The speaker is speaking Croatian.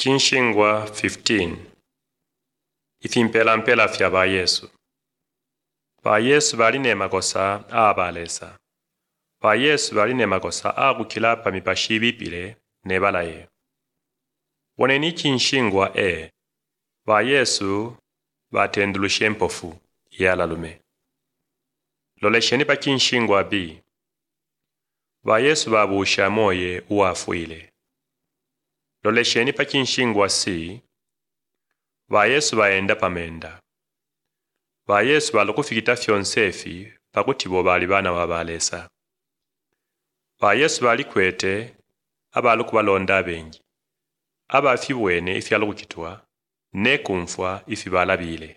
Kinshingwa 15 Ifimpela fya ba Yesu. Ba Yesu bali ne makosa abalesa. Ba Yesu bali ne makosa agukila pa mipashi bipile ne balaye. Woneni kinshingwa ba Yesu batendulushe mpofu yalalume. Lolesheni pa kinshingwa b. Ba Yesu babusha moye uwafuile. Lolesheni pa kinshingwa c. Ba Yesu baenda pamenda. Ba Yesu balukufikita fyonsefi pakuti bo bali bana wabalesa. Ba Yesu bali kwete abalukubalonda bengi. Abafibwene ifi alukukitwa ne kumfwa ifi balabile.